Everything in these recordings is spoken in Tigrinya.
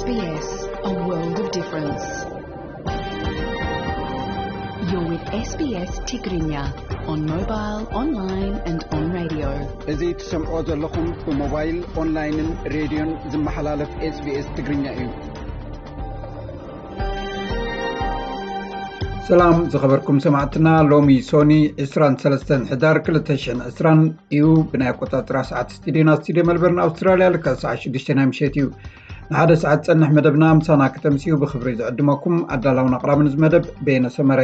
S B S, a world of difference. You're with S B S Tigrinya on mobile, online and on radio. እዚ ትሰምዖ ዘለኹም ብሞባይል፣ ኦንላይንን ሬድዮን ዝመሓላለፍ SBS ትግርኛ እዩ። ሰላም ዝኸበርኩም ሰማዕትና፣ ሎሚ ሶኒ ዕስራን ሰለስተን ሕዳር ክልተ ሽሕን ዕስራን እዩ። ብናይ ኣቆጻጽራ ሰዓት ስቱዲዮና፣ ስቱዲዮ መልበርን ኣውስትራልያ፣ ልክዕ ሰዓት ሽዱሽተ ናይ ምሸት እዩ። ንሓደ ሰዓት ጸንሕ መደብና ምሳና ከተምስዩ ብኽብሪ ዝዕድመኩም ኣዳላውን ኣቕራብን እዚ መደብ በየነ ሰመረ።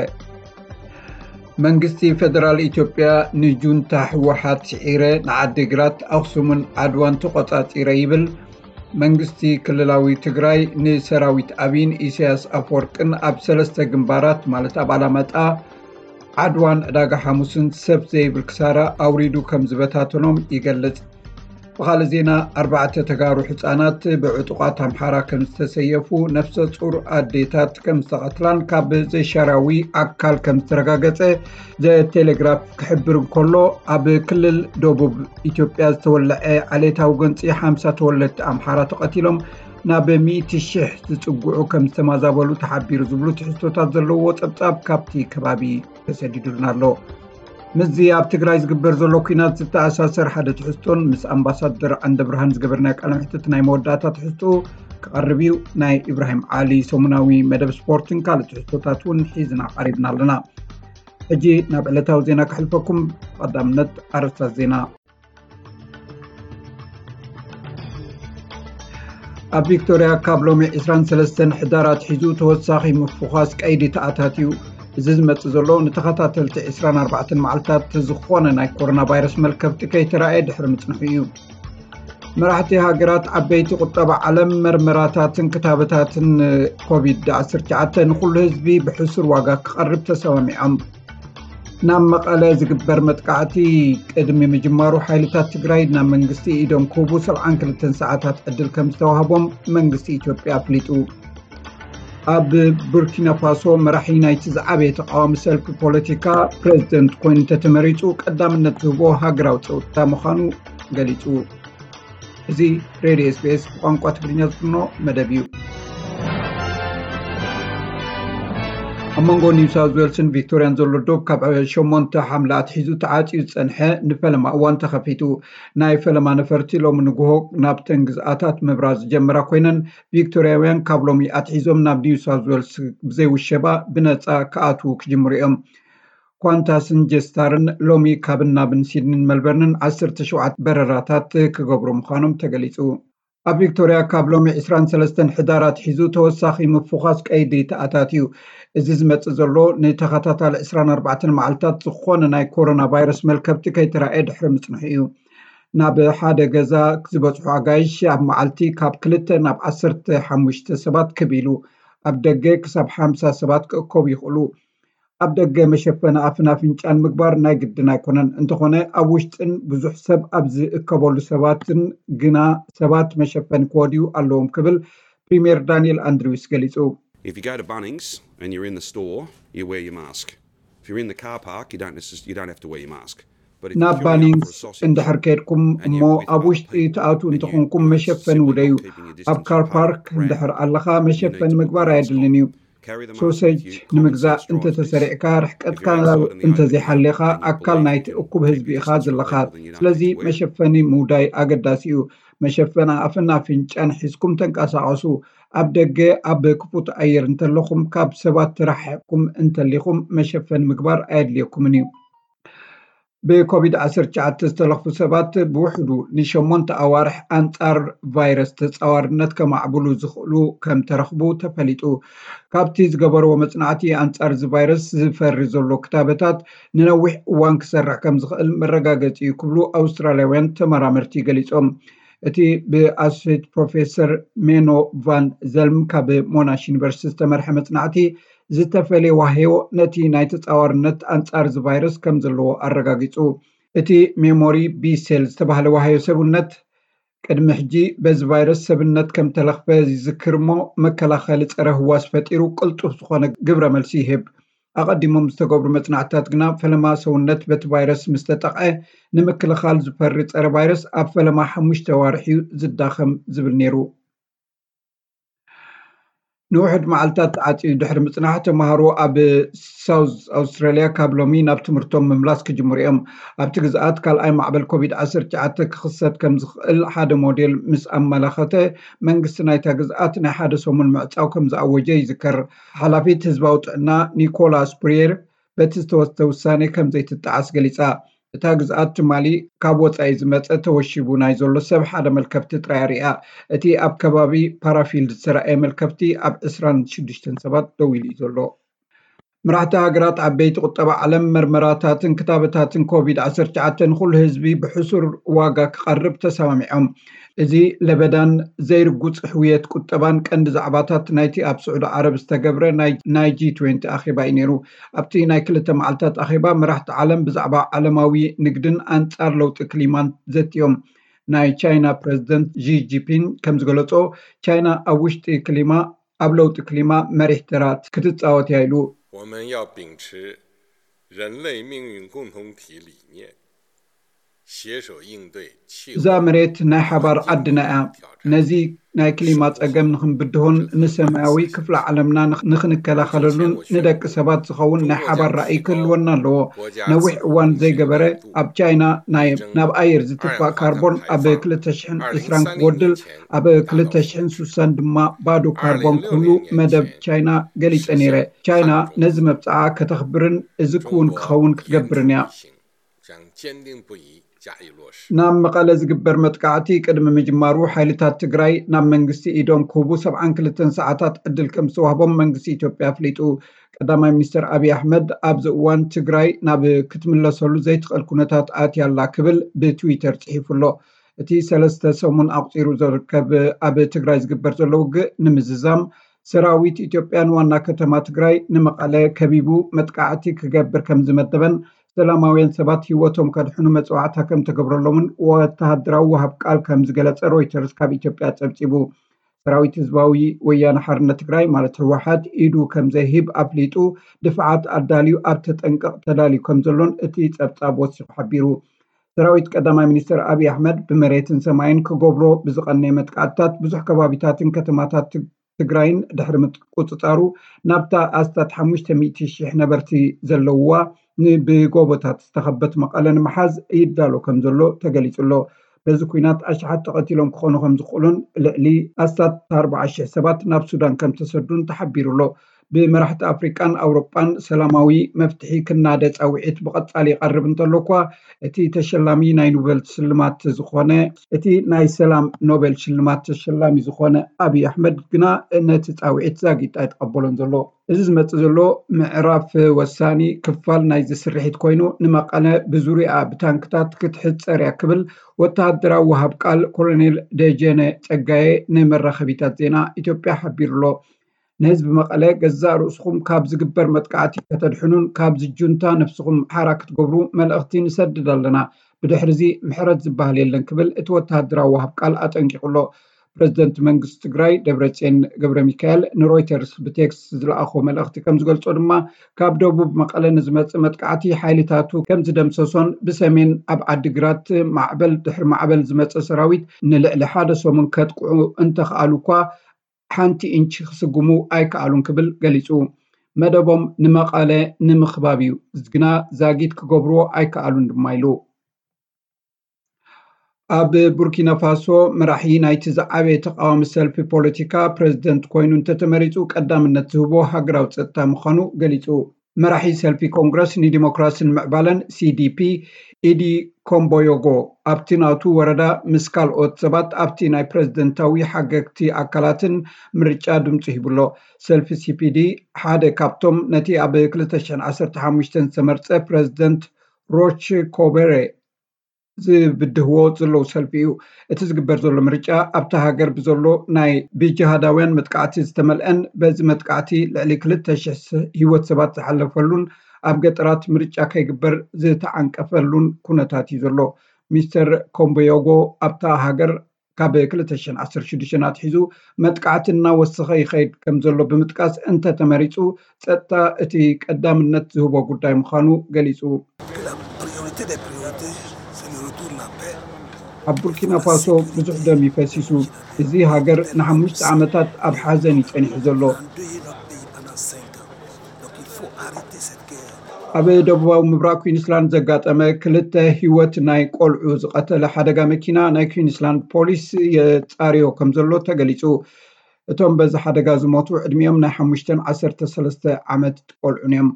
መንግስቲ ፌደራል ኢትዮጵያ ንጁንታ ህወሓት ስዒረ ንዓዲግራት፣ ኣኽሱምን ዓድዋን ተቖጻጺረ ይብል። መንግስቲ ክልላዊ ትግራይ ንሰራዊት ኣብይን ኢሳያስ ኣፈወርቅን ኣብ ሰለስተ ግንባራት፣ ማለት ኣብ ኣላማጣ፣ ዓድዋን ዕዳጋ ሓሙስን ሰብ ዘይብል ክሳራ ኣውሪዱ ከም ዝበታተኖም ይገልጽ። ብኻልእ ዜና፣ ኣርባዕተ ተጋሩ ህጻናት ብዕጡቓት ኣምሓራ ከም ዝተሰየፉ፣ ነፍሰ ጡር ኣዴታት ከም ዝተቐትላን ካብ ዘይሻራዊ ኣካል ከም ዝተረጋገጸ ዘቴሌግራፍ ክሕብር እንከሎ፣ ኣብ ክልል ደቡብ ኢትዮጵያ ዝተወለዐ ዓሌታዊ ጎንጺ ሓምሳ ተወለድቲ ኣምሓራ ተቐቲሎም ናብ ሚእቲ ሽሕ ዝጽግዑ ከም ዝተማዛበሉ ተሓቢሩ ዝብሉ ትሕዝቶታት ዘለዎ ጸብጻብ ካብቲ ከባቢ ተሰዲዱልና ኣሎ። ምስዚ ኣብ ትግራይ ዝግበር ዘሎ ኲናት ዝተኣሳሰር ሓደ ትሕዝቶን ምስ ኣምባሳደር ዓንደብርሃን ዝገበርናዮ ቃለ መሕትት ናይ መወዳእታ ትሕዝቶ ክቐርብ እዩ። ናይ ኢብራሂም ዓሊ ሰሙናዊ መደብ ስፖርትን ካልእ ትሕዝቶታት እውን ሒዝና ቀሪብና ኣለና። ሕጂ ናብ ዕለታዊ ዜና ከሕልፈኩም። ቀዳምነት ኣርእስታት ዜና። ኣብ ቪክቶርያ ካብ ሎሚ ዕስራን ሰለስተን ሕዳር ኣትሒዙ ተወሳኺ ምፍዃስ ቀይዲ ተኣታትዩ። እዚ ዝመጽእ ዘሎ ንተኸታተልቲ ዕስራን ኣርባዕተን መዓልታት ዝኾነ ናይ ኮሮና ቫይረስ መልከፍቲ ከይተራእየ ድሕሪ ምጽንሑ እዩ። መራሕቲ ሃገራት ዓበይቲ ቁጠባ ዓለም መርመራታትን ክታበታትን ኮቪድ ዓሰርተ ትሽዓተ ንኹሉ ህዝቢ ብሕሱር ዋጋ ክቐርብ ተሰማሚዖም። ናብ መቐለ ዝግበር መጥቃዕቲ ቅድሚ ምጅማሩ ሓይልታት ትግራይ ናብ መንግስቲ ኢዶም ክህቡ ሰብዓን ክልተን ሰዓታት ዕድል ከም ዝተዋህቦም መንግስቲ ኢትዮጵያ ኣፍሊጡ። ኣብ ቡርኪና ፋሶ መራሒ ናይቲ ዝዓበየ ተቃዋሚ ሰልፊ ፖለቲካ ፕሬዝደንት ኮይኑ እንተተመሪጹ ቀዳምነት ዝህቦ ሃገራዊ ጸጥታ ምዃኑ ገሊጹ። እዚ ሬድዮ SBS ብቋንቋ ትግርኛ ዝፍኖ መደብ እዩ። ኣብ መንጎ ኒው ሳውዝ ዌልስን ቪክቶርያን ዘሎ ዶብ ካብ ሸሞንተ ሓምለ ኣትሒዙ ተዓጽዩ ዝጸንሐ ንፈለማ እዋን ተኸፊቱ። ናይ ፈለማ ነፈርቲ ሎሚ ንግሆ ናብተን ግዝኣታት ምብራር ዝጀመራ ኮይነን፣ ቪክቶርያውያን ካብ ሎሚ ኣትሒዞም ናብ ኒው ሳውዝ ዌልስ ብዘይ ውሸባ ብነጻ ክኣትዉ ክጅምሩ እዮም። ኳንታስን ጀስታርን ሎሚ ካብን ናብን ሲድኒን መልበርንን ዓሰርተ ሸውዓተ በረራታት ክገብሩ ምዃኖም ተገሊጹ። ኣብ ቪክቶርያ ካብ ሎሚ ዕስራን ሰለስተን ሕዳር ኣትሒዙ ተወሳኺ ምፍዃስ ቀይዲ ተኣታትዩ። እዚ ዝመጽእ ዘሎ ንተኸታታሊ ዕስራን ኣርባዕተን መዓልታት ዝኾነ ናይ ኮሮና ቫይረስ መልከፍቲ ከይተራእየ ድሕሪ ምጽንሑ እዩ። ናብ ሓደ ገዛ ዝበጽሑ ኣጋይሽ ኣብ መዓልቲ ካብ ክልተ ናብ ዓሰርተ ሓሙሽተ ሰባት ክብ ኢሉ፣ ኣብ ደገ ክሳብ ሓምሳ ሰባት ክእከቡ ይኽእሉ። ኣብ ደገ መሸፈኒ ኣፍን ኣፍንጫን ምግባር ናይ ግድን ኣይኮነን። እንተኾነ፣ ኣብ ውሽጥን ብዙሕ ሰብ ኣብ ዝእከበሉ ሰባትን ግና ሰባት መሸፈኒ ክወድዩ ኣለዎም ክብል ፕሪምየር ዳንኤል ኣንድሪውስ ገሊጹ። If you go to Bunnings and you're in the store, you wear your mask. If you're in the car park, you don't necess- you don't have to wear your mask. But if you're ናብ queuing up for a ባኒንግስ sausage እንድሕር ከድኩም and እሞ you're with ኣብ other ውሽጢ people ትኣትዉ and you እንተኾንኩም notice መሸፈኒ simply ውደዩ። Not keeping your distance ኣብ ካር from ፓርክ brandy, እንድሕር ኣለኻ you need መሸፈኒ to put ምግባር your mask ኣየድልን on. እዩ። Carry the mask ሶሴጅ with you. Common ንምግዛእ sense drives us እንተተሰሪዕካ፣ ርሕቀትካ እንተዘይሓሌኻ፣ ኣካል ናይቲ እኩብ ህዝቢ ኢኻ ዘለኻ። ስለዚ መሸፈኒ ምውዳይ ኣገዳሲ እዩ። መሸፈኒ ኣፍን ኣፍንጫን ሒዝኩም ተንቀሳቐሱ። ኣብ ደገ ኣብ ክፉት ኣየር እንተለኹም፣ ካብ ሰባት ተረሓሒቕኩም እንተሊኹም፣ መሸፈኒ ምግባር ኣየድልየኩምን እዩ። ብኮቪድ ዓሰርተ ትሽዓተ ዝተለኽፉ ሰባት ብውሕዱ ንሸሞንተ ኣዋርሕ ኣንጻር ቫይረስ ተጻዋርነት ከማዕብሉ ዝኽእሉ ከም ተረኽቡ ተፈሊጡ። ካብቲ ዝገበርዎ መጽናዕቲ፣ ኣንጻር እዚ ቫይረስ ዝፈሪ ዘሎ ክታበታት ንነዊሕ እዋን ክሰርሕ ከም ዝኽእል መረጋገጺ እዩ ክብሉ ኣውስትራልያውያን ተመራመርቲ ገሊጾም። እቲ ብኣሶሴት ፕሮፌሰር ሜኖ ቫን ዘልም ካብ ሞናሽ ዩኒቨርሲቲ ዝተመርሐ መጽናዕቲ፣ ዝተፈልየ ዋህዮ ነቲ ናይ ተጻዋርነት ኣንጻር እዚ ቫይረስ ከም ዘለዎ ኣረጋጊጹ። እቲ ሜሞሪ ቢ ሴል ዝተባህለ ዋህዮ ሰብነት፣ ቅድሚ ሕጂ በዚ ቫይረስ ሰብነት ከም ተለኽፈ ይዝክር እሞ፣ መከላኸሊ ጸረ ህዋስ ፈጢሩ ቅልጡፍ ዝኾነ ግብረ መልሲ ይህብ። ኣቐዲሞም ዝተገብሩ መጽናዕትታት ግና፣ ፈለማ ሰውነት በቲ ቫይረስ ምስ ተጠቕዐ፣ ንምክልኻል ዝፈሪ ጸረ ቫይረስ ኣብ ፈለማ ሓሙሽተ ኣዋርሕ እዩ ዝዳኸም ዝብል ነይሩ። ንውሕድ መዓልታት ተዓፅዩ ድሕሪ ምፅናሕ፣ ተምሃሮ ኣብ ሳውዝ ኣውስትራሊያ ካብ ሎሚ ናብ ትምህርቶም ምምላስ ክጅምሩ እዮም። ኣብቲ ግዝኣት ካልኣይ ማዕበል ኮቪድ ዓሰርተ ትሽዓተ ክኽሰት ከም ዝኽእል ሓደ ሞዴል ምስ ኣመላኸተ፣ መንግስቲ ናይታ ግዝኣት ናይ ሓደ ሰሙን ምዕፃው ከም ዝኣወጀ ይዝከር። ሓላፊት ህዝባዊ ጥዕና ኒኮላ ስፕሪየር፣ በቲ ዝተወስደ ውሳኔ ከም ዘይትጠዓስ ገሊጻ። እታ ግዝኣት ትማሊ ካብ ወጻኢ ዝመጸ ተወሺቡ ናይ ዘሎ ሰብ ሓደ መልከፍቲ ጥራይ ኣርእያ። እቲ ኣብ ከባቢ ፓራፊልድ ዝተራእየ መልከፍቲ ኣብ ዕስራን ሽዱሽተን ሰባት ደው ኢሉ እዩ ዘሎ። መራሕቲ ሃገራት ዓበይቲ ቁጠባ ዓለም መርመራታትን ክታበታትን ኮቪድ ዓሰርተ ትሽዓተ ንኹሉ ህዝቢ ብሕሱር ዋጋ ክቐርብ ተሰማሚዖም። እዚ ለበዳን ዘይርጉጽ ሕውየት ቁጠባን ቀንዲ ዛዕባታት ናይቲ ኣብ ስዑዲ ዓረብ ዝተገብረ ናይ ጂ ትዌንቲ ኣኼባ እዩ ነይሩ። ኣብቲ ናይ ክልተ መዓልታት ኣኼባ መራሕቲ ዓለም ብዛዕባ ዓለማዊ ንግድን ኣንጻር ለውጢ ክሊማን ዘትዮም። ናይ ቻይና ፕረዚደንት ጂ ጂፒን ከም ዝገለጾ፣ ቻይና ኣብ ውሽጢ ክሊማ ኣብ ለውጢ ክሊማ መሪሕ ተራ ክትጻወት እያ ኢሉ። 我们要秉持人类命运共同体理念， እዛ መሬት ናይ ሓባር ዓድና እያ። ነዚ ናይ ክሊማ ጸገም ንኽንብድሆን ንሰማያዊ ክፍለ ዓለምና ንኽንከላኸለሉን ንደቂ ሰባት ዝኸውን ናይ ሓባር ራእይ ክህልወና ኣለዎ። ነዊሕ እዋን ዘይገበረ ኣብ ቻይና ናይ ናብ ኣየር ዝትፋእ ካርቦን ኣብ ክልተ ሽሕን ዕስራን ክጎድል፣ ኣብ ክልተ ሽሕን ስሳን ድማ ባዶ ካርቦን ክህሉ መደብ ቻይና ገሊጸ ነይረ። ቻይና ነዚ መብጽዓ ከተኽብርን እዚ ክውን ክኸውን ክትገብርን እያ። 将坚定不移加以落实。 ናብ መቐለ ዝግበር መጥቃዕቲ ቅድሚ ምጅማሩ ሓይልታት ትግራይ ናብ መንግስቲ ኢዶም ክህቡ ሰብዓን ክልተን ሰዓታት ዕድል ከም ዝተዋህቦም መንግስቲ ኢትዮጵያ ኣፍሊጡ። ቀዳማይ ሚኒስትር ኣብይ ኣሕመድ ኣብዚ እዋን ትግራይ ናብ ክትምለሰሉ ዘይትኽእል ኩነታት ኣትያ ኣላ ክብል ብትዊተር ጽሒፉ ኣሎ። እቲ ሰለስተ ሰሙን ኣቑጺሩ ዝርከብ ኣብ ትግራይ ዝግበር ዘሎ ውግእ ንምዝዛም ሰራዊት ኢትዮጵያ ንዋና ከተማ ትግራይ ንመቐለ ከቢቡ መጥቃዕቲ ክገብር ከም ዝመደበን ሰላማውያን ሰባት ህይወቶም ከድሕኑ መፅዋዕታ ከም ተገብረሎምን ወተሃደራዊ ወሃብ ቃል ከም ዝገለፀ ሮይተርስ ካብ ኢትዮጵያ ፀብፂቡ። ሰራዊት ህዝባዊ ወያነ ሓርነት ትግራይ ማለት ህወሓት ኢዱ ከም ዘይህብ ኣፍሊጡ፣ ድፍዓት ኣዳልዩ ኣብ ተጠንቀቕ ተዳልዩ ከም ዘሎን እቲ ፀብፃብ ወሲኹ ሓቢሩ። ሰራዊት ቀዳማይ ሚኒስትር ኣብይ ኣሕመድ ብመሬትን ሰማይን ክገብሮ ብዝቐነየ መጥቃዕትታት ብዙሕ ከባቢታትን ከተማታት ትግራይን ድሕሪ ምቁፅፃሩ ናብታ ኣስታት ሓሙሽተ ሚእቲ ሺሕ ነበርቲ ዘለውዋ ብጎቦታት ዝተኸበት መቐለ ንምሓዝ ይዳሎ ከም ዘሎ ተገሊፁ ኣሎ። በዚ ኩናት ኣሽሓት ተቐቲሎም ክኾኑ ከም ዝኽእሉን ልዕሊ ኣስታት ኣርባዓ ሺሕ ሰባት ናብ ሱዳን ከም ተሰዱን ተሓቢሩ ኣሎ። ብመራሕቲ ኣፍሪቃን ኣውሮጳን ሰላማዊ መፍትሒ ክናደ ፃውዒት ብቐፃሊ ይቐርብ እንተሎ እኳ እቲ ተሸላሚ ናይ ኖቤል ሽልማት ዝኾነ እቲ ናይ ሰላም ኖቤል ሽልማት ተሸላሚ ዝኾነ ኣብይ ኣሕመድ ግና ነቲ ፃውዒት ዛጊት ኣይተቐበሎን ዘሎ። እዚ ዝመፅእ ዘሎ ምዕራፍ ወሳኒ ክፋል ናይዚ ስርሒት ኮይኑ ንመቐለ ብዙሪኣ ብታንክታት ክትሕፀር እያ ክብል ወተሃደራዊ ወሃብ ቃል ኮሎኔል ደጀነ ጸጋየ ንመራኸቢታት ዜና ኢትዮጵያ ሓቢሩ ኣሎ። ንህዝቢ መቐለ ገዛእ ርእስኹም ካብ ዝግበር መጥቃዕቲ ከተድሕኑን ካብዚ ጁንታ ነብስኹም ሓራ ክትገብሩ መልእኽቲ ንሰድድ ኣለና። ብድሕሪ እዚ ምሕረት ዝበሃል የለን ክብል እቲ ወተሃደራዊ ወሃብ ቃል ኣጠንቂቑ ኣሎ። ፕረዚደንት መንግስቲ ትግራይ ደብረፅዮን ገብረ ሚካኤል ንሮይተርስ ብቴክስት ዝለኣኾ መልእኽቲ ከም ዝገልጾ ድማ ካብ ደቡብ መቐለ ንዝመፅእ መጥቃዕቲ ሓይልታቱ ከም ዝደምሰሶን ብሰሜን ኣብ ዓዲግራት ማዕበል ድሕሪ ማዕበል ዝመፀ ሰራዊት ንልዕሊ ሓደ ሰሙን ከጥቅዑ እንተኽኣሉ እኳ ሓንቲ ኢንች ክስጉሙ ኣይከኣሉን ክብል ገሊፁ። መደቦም ንመቐለ ንምኽባብ እዩ፣ ግና ዛጊት ክገብርዎ ኣይከኣሉን ድማ ኢሉ። ኣብ ቡርኪና ፋሶ መራሒ ናይቲ ዝዓበየ ተቃዋሚ ሰልፊ ፖለቲካ ፕረዚደንት ኮይኑ እንተተመሪፁ ቀዳምነት ዝህቦ ሃገራዊ ፀጥታ ምዃኑ ገሊፁ። መራሒ ሰልፊ ኮንግረስ ንዲሞክራሲን ምዕባለን ሲዲፒ ኢዲ ኮምቦዮጎ ኣብቲ ናቱ ወረዳ ምስ ካልኦት ሰባት ኣብቲ ናይ ፕረዚደንታዊ ሓገግቲ ኣካላትን ምርጫ ድምፁ ሂቡሎ። ሰልፊ ሲፒዲ ሓደ ካብቶም ነቲ ኣብ ክልተ ሽሕን ዓሰርተ ሓሙሽተን ዝተመርጸ ፕረዚደንት ሮች ኮበሬ ዝብድህዎ ዘለዉ ሰልፊ እዩ። እቲ ዝግበር ዘሎ ምርጫ ኣብታ ሃገር ብዘሎ ናይ ብጅሃዳውያን መጥቃዕቲ ዝተመልአን በዚ መጥቃዕቲ ልዕሊ ክልተ ሽሕ ህይወት ሰባት ዝሓለፈሉን ኣብ ገጠራት ምርጫ ከይግበር ዝተዓንቀፈሉን ኩነታት እዩ ዘሎ። ሚስተር ኮምቦዮጎ ኣብታ ሃገር ካብ ክልተ ሽሕን ዓሰርተ ሽዱሽተን ኣትሒዙ መጥቃዕቲ እናወሰኸ ይኸይድ ከም ዘሎ ብምጥቃስ እንተተመሪፁ ፀጥታ እቲ ቀዳምነት ዝህቦ ጉዳይ ምዃኑ ገሊፁ። La priorité des priorités, c'est le retour de la paix. ኣብ ቡርኪና ፋሶ ብዙሕ ደም ይፈሲሱ። እዚ ሃገር ንሓሙሽተ ዓመታት ኣብ ሓዘን እዩ ጸኒሑ ዘሎ። ኣብ ደቡባዊ ምብራቕ ኩዊንስላንድ ዘጋጠመ ክልተ ህይወት ናይ ቆልዑ ዝቐተለ ሓደጋ መኪና ናይ ኩዊንስላንድ ፖሊስ የጻርዮ ከም ዘሎ ተገሊጹ። እቶም በዚ ሓደጋ ዝሞቱ ዕድሚኦም ናይ ሓሙሽተን ዓሰርተ ሰለስተ ዓመት ቆልዑን እዮም።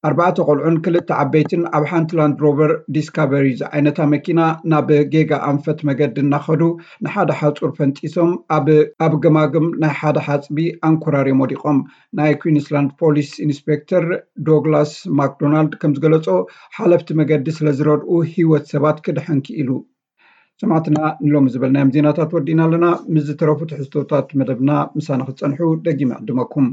ኣርባዕተ ቆልዑን ክልተ ዓበይትን ኣብ ሓንቲ ላንድ ሮቨር ዲስካቨሪ ዝዓይነታ መኪና ናብ ጌጋ ኣንፈት መገዲ እናኸዱ ንሓደ ሓጹር ፈንጢሶም ኣብ ኣብ ገማግም ናይ ሓደ ሓጽቢ ኣንኮራርዮም ወዲቖም። ናይ ኩዊንስላንድ ፖሊስ ኢንስፔክተር ዶግላስ ማክዶናልድ ከም ዝገለጾ፣ ሓለፍቲ መገዲ ስለ ዝረድኡ ህይወት ሰባት ክድሕን ክኢሉ። ሰማዕትና፣ ንሎሚ ዝበልናዮም ዜናታት ወዲእና ኣለና። ምስ ዝተረፉ ትሕዝቶታት መደብና ምሳና ክትጸንሑ ደጊመ ዕድመኩም።